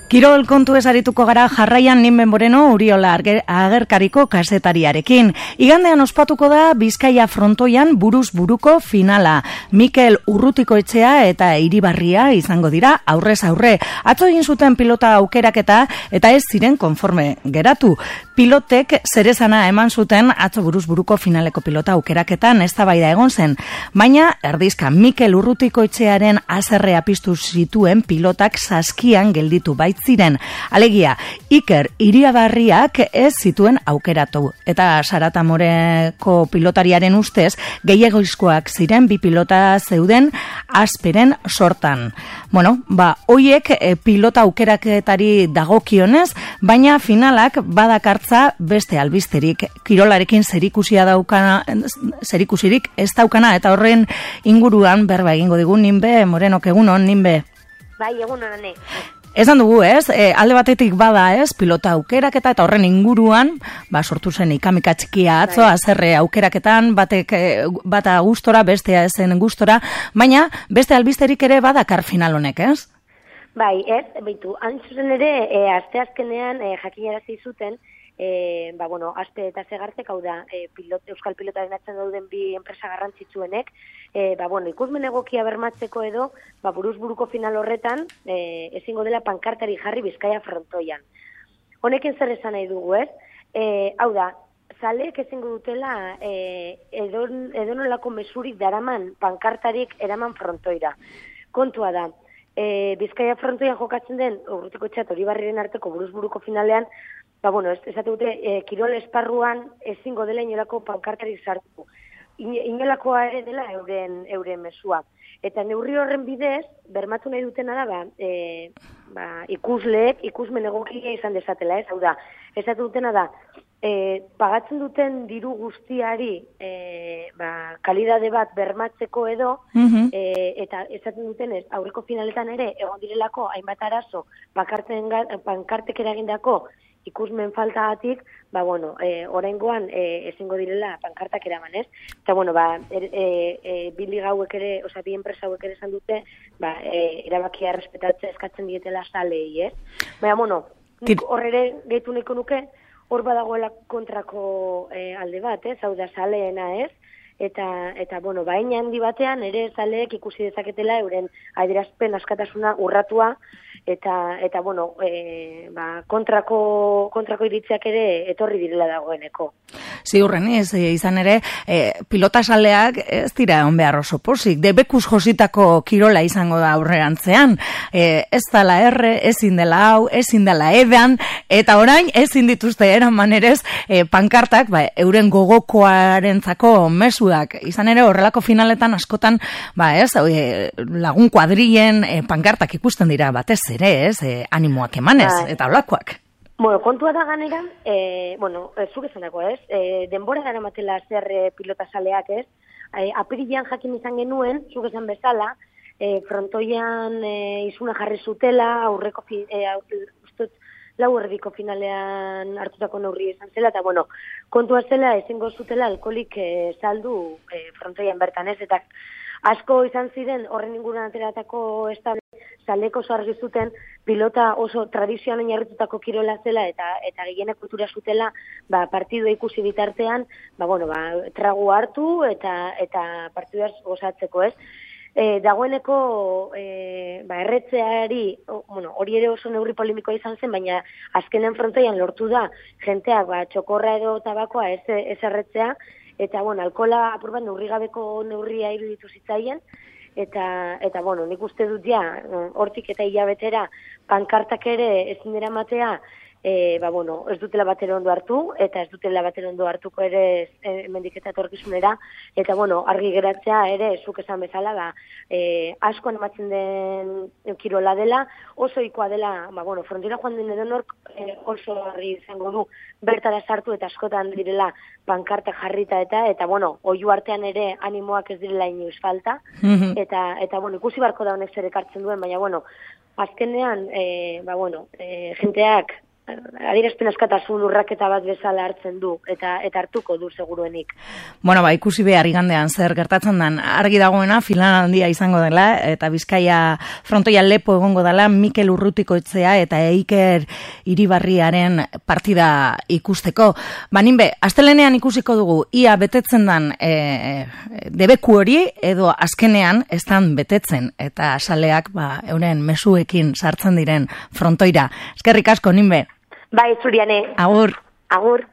Kirol kontu esarituko gara jarraian Ninben Moreno Uriola agerkariko kasetariarekin. Igandean ospatuko da Bizkaia frontoian buruz buruko finala. Mikel Urrutikoetxea eta Iribarria izango dira aurrez aurre. Atzo egin zuten pilota aukeraketa eta ez ziren konforme geratu. Pilotek zerezana eman zuten atzo buruz buruko finaleko pilota aukeraketan eztabaida egon zen. Baina erdizka Mikel Urrutikoetxearen haserrea piztu zituen pilotak saskian gelditu ziren. Alegia, Iker Iribarriak ez zituen aukeratu. Eta Saratamoreko pilotariaren ustez, gehiagoizkoak ziren bi pilota zeuden Asperen sortan. Bueno, hoiek pilota aukeraketari dagokionez, baina finalak badakartza beste albizterik. Kirolarekin zerikusirik ez daukana, eta horren inguruan berba egingo digu Ninbe Morenok. Egunon, Ninbe. Bai, egunon, ane. Esan dugu, alde batetik bada, pilota aukeraketa eta horren inguruan, sortu zen ikamika txikia atzo, haserre aukeraketan, bata gustora, bestea ezen gustora, baina beste albizterik ere badakar final honek, ez? Bai, beitu, hain zuzen ere, asteazkenean jakinarazi zuten, Aspe eta Segartek, hau da, euskal pilotaren atzen dauden bi enpresa garrantzitsuenek, ikusmen egokia bermatzeko edo, buruz buruko final horretan, ezingo dela pankartari jarri Bizkaia frontoian. Honekin zer esan nahi dugu, ez? Hau da, zaleek ezingo dutela edonolako mesurik daraman pankartarik eraman frontoira. Kontua da, Bizkaia frontoian jokatzen den, Urrutikoetxea eta Iribarriren arteko buruz buruko finalean, esate dute, kirol esparruan ezingo dela inolako pankartarik sartu. Inolakoa ere dela euren mesua. Eta neurri horren bidez, bermatu nahi dutena da, ikusleek, ikusmen egokia izan desatela, ez? Hau da, esate dutena da, pagatzen duten diru guztiari kalidade bat bermatzeko edo, eta esaten duten ez, aurreko finaletan ere, egon direlako hainbat arazo, pankartek eragindako ikusmen faltagatik, oraingoan ezingo direla pankartak eraman, ez? Eta, bi liga hauek ere, bi enpresa hauek ere esan dute, erabakia errespetatzea eskatzen dietela salei, ez? Nik horrere gehitu nahiko nuke, hor badagoela kontrako alde bat, ez? Hau da saleena, ez? Eta baina handi batean ere zaleek ikusi dezaketela euren adierazpen askatasuna urratua eta kontrako iritziak ere etorri direla dagoeneko. Ziurren izan ere, pilotasaleak ez dira egon behar oso pozik. Debekuz jositako kirola izango da aurrerantzean. Ez dela ezin dela hau, ezin dela edan, eta orain ezin dituzte eraman erez pankartak, euren gogokoarentzako mesuak. Izan ere, horrelako finaletan askotan, lagun kuadrien pankartak ikusten dira batez ere, animoak emanez, eta holakoak. Kontua da ganera, zuk esanako, ez? Denbora dara matela zer pilotasaleak, ez? Apirilean jakin izan genuen, zuk esan bezala, frontoian izuna jarri zutela, aurreko lau erdiko finalean hartutako neurri izan zela, eta kontua zela ezingo zutela alkoholik saldu frontoian bertan, ez? Eta asko izan ziren horren inguruan ateratako estable zaleko oso argi zuten pilota oso tradizioan oinarritutako kirola zela eta gehienek kultura zutela partidua ikusi bitartean tragu hartu eta partiduaz gozatzeko, ez? Dagoeneko erretzeari, hori ere oso neurri polemikoa izan zen, baina azkenen frontoian lortu da jenteak txokorra edo tabakoa ez erretzea, eta alkola apur bat neurrigabeko neurria iruditu zitzaien, eta nik uste dut hortik eta hilabetera pankartak ere ezin dira matea, ez dutela batera ondo hartu, eta ez dutela batera ondo hartuko ere hemendik eta etorkizunera, eta argi geratzea ere, zuk esan bezala, asko ematzen den kirola dela, oso ikoa dela, frontera joan den edonork oso argi izango du bertara sartu eta askotan direla pankarta jarrita eta oihu artean ere animoak ez direla inoiz falta, eta ikusi barko da honek zer ekartzen duen, baina azkenean, jenteak adierazpen askatasun urraketa bat bezala hartzen du, eta hartuko du seguruenik. Bueno, ikusi behar igandean zer gertatzen den, argi dagoena finalandia izango dela, eta Bizkaia frontoia lepo egongo dela Mikel Urrutikoetxea eta Eiker Iribarriaren partida ikusteko. Ninbe, astelenean ikusiko dugu, ia betetzen den debeku hori, edo azkenean ez dan betetzen, eta saleak euren mezuekin sartzen diren frontoira. Eskerrik asko, Ninbe. Bai, zuriane. Agur. Agur.